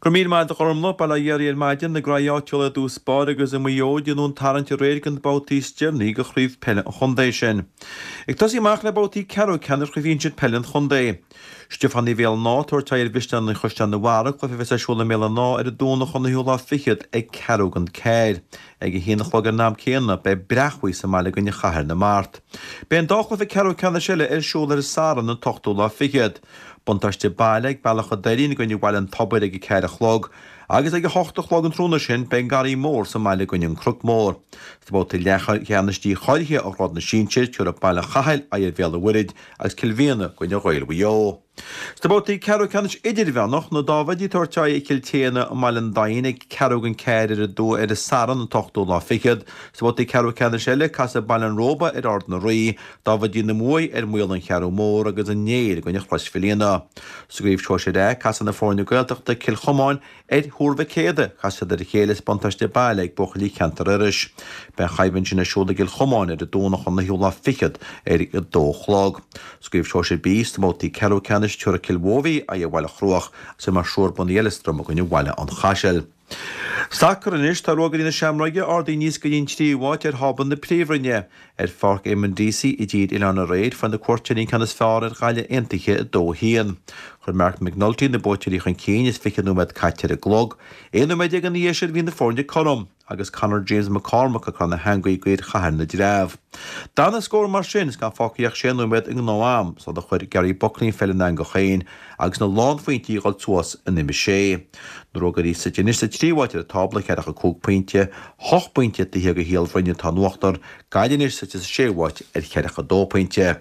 Go raibh míle maith agat a Ghormlaith, Bail ó Dhia oraibh ar maidin, na graí áitiúla i dtús báire agus i Maigh Eo ag déanamh an tarraingt aréir do na babhtaí is deireanaí de chraobh peile an chontae sin. Ag tosaí amach le babhtaí ceathrú ceannais chraobh shinsir peile an chontae. Stiofánaigh Bhéal an Átha ag tabhairt aghaidh ar Mhisneoirí Chaisleán an Bharraigh, cluiche a bheas ar siúl i mBéal an Átha ar an Domhnach an 9ú lá fichead ag ceathrú don ceathair. Ag a haon a chlog ar an am céanna beidh Breac-Bhuí sa mbaile i gcoinne Chathair na Mart. Beidh an dá chluiche ceathrú ceannais eile ar siúl ar an Satharn an t-ochtú lá fichead. Buntáiste baile ag Bealach an Doirín i gcoinne Bhaile an Tobair ag a ceathair a chlog agus ag a hocht a chlog an tráthnóna sin beidh an Garraí Mór sa mbaile i gcoinne an Cnoc Mór. Sna babhtaí leathcheannais dícháilithe ó ghrád na sinsir, tabharfaidh Baile an Chathail aghaidh ar Bhéal an Mhuirthead agus Cill Mhiadhna i gcoinne Ghaeil Mhaigh Eo. Sna babhtaí ceathrú ceannais idirmheánach, na Dáibhidí ag tabhairt aghaidh ar Chill tSéadhna i mBaile an Daingin ag ceathrú don ceathair ar an ar an Satharn an t-ochtú lá fichead. Sna babhtaí ceathrú ceannais eile, casfaidh Baile an Róba ar Ard na Rí, Dáibhidí na Muaidhe ar Maol an Cheathrú Mór agus an Néill i gcoinne Chrois Mhaoilíona. Sa gcraobh Sóisir A, casfaidh na foirne Gaeltachta, Cill Chomáin ar Thuar Mhic Éadaigh. Casfaidh siad ar a chéile is buntáiste baile ag buachaillí Cheantar Iorrais. Beidh an choimhlint sin ar siúl i gCill Chomáin ar an Domhnach an 9ú lá fichead ar a dó a chlog. Sa gcraobh Sóisir B, sna babhtaí ceathrú ceannais, tabharfaidh Cill Mhóibhí aghaidh ar Bhaile Chruaich agus imreoidh Srúr Bun Uí Eileastram i gcoinne Bhaile an Chaisil. Sacar anois, tá Ruagairí na Seamróige ardaithe aníos go dtí an tríú háit ar thábla na Príomhroinne. Ar Pháirc Eamonn Deacy i dTír Oileáin aréir, fuair na cuairteoirí an ceann is fearr ar Ghaillimh Aontaithe 2-1. Chuir Marc McNulty na buaiteoirí chun cinn is 20 nóiméad caite ar an gclog. 11 nóiméad ina dhiaidh sin bhí na foirne cothrom. agus Conor James McCormack ag cur na heangaí d'fhir Chathair na dTreabh. D'fhan an scór mar sin is gan fágtha ach sé nóiméad i ngnáth-am sular chuir Gary Buckley an pheil ina eangach féin agus na lánphointí ag dul suas in uimhir a sé. Na Ruagairí suite anois sa tríú háit ar an tábla, ceathracha cúig pointe, hocht bpointe taobh thiar de Shíol Bhroin atá in uachtar, Gaillimh anois suite sa séú háit ar cheathracha dó pointe.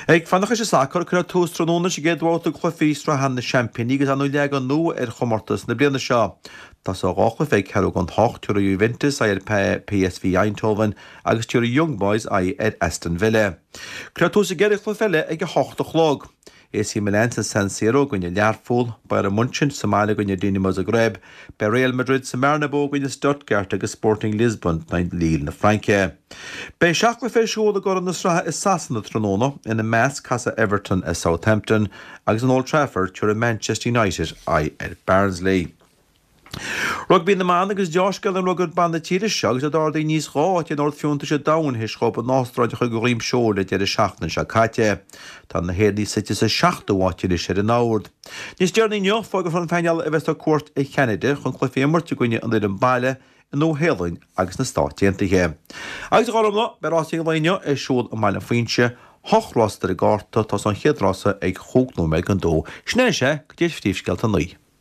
Ag fanacht leis an sacar, cuirfear tús tráthnóna leis an gcéad bhabhta de chluichí Sraithe na Seaimpíní agus ar ndóigh leagan nua ar chomórtas na bliana seo. Tosóidh dhá chluiche ag ceathrú don hocht, tabharfaidh Juventus aghaidh ar PSV Eindhoven agus tabharfaidh Young Boys aghaidh ar Aston Villa. Cuirfear tús an gceithre chluiche eile ag a hocht a chlog. AC Milan sa San Siro i gcoinne Learpholl, Bayern Munchen sa mbaile i gcoinne Dinamo Zagreb, beidh Real Madrid sa mBernabeu i gcoinne Stuttgart agus Sporting Lisbon in aghaidh Lille na Fraince. Beidh seacht gcluiche ar siúl i gcuraidh na sraithe i Sasana tráthnóna, ina measc casfaidh Everton ar Southampton agus in Old Trafford tabharfaidh Manchester United aghaidh ar Barnsley. Rugbaí na mBan agus deá-scéal i rugbaí ban na tíre seo agus iad ardaithe aníos dhá áit in ord fiúntais an domhain théis dhóibh an Astráil a chur de dhroim seoil an deireadh seachtaine seo caite. Tá na hÉireannaigh suite sa seachtú háit anois ar an ord. Níos deireanaí inniu, fógrófar an painéal a bheas ar cuairt ar Cheanada chun cluichí a imirt i gcoinne an fhoireann baile, an Nua-Shéalainn agus na Stáit Aontaithe. Agus a Ghormfhlaith, beidh rásaí an lae inniu ar siúl i mBaile an Phuinse, hocht rás ar an gcárta, tosóidh an chéad rása ag chúig nóiméad don dó. Sin é, sea, go dtí ar phríomhscéalta a naoi.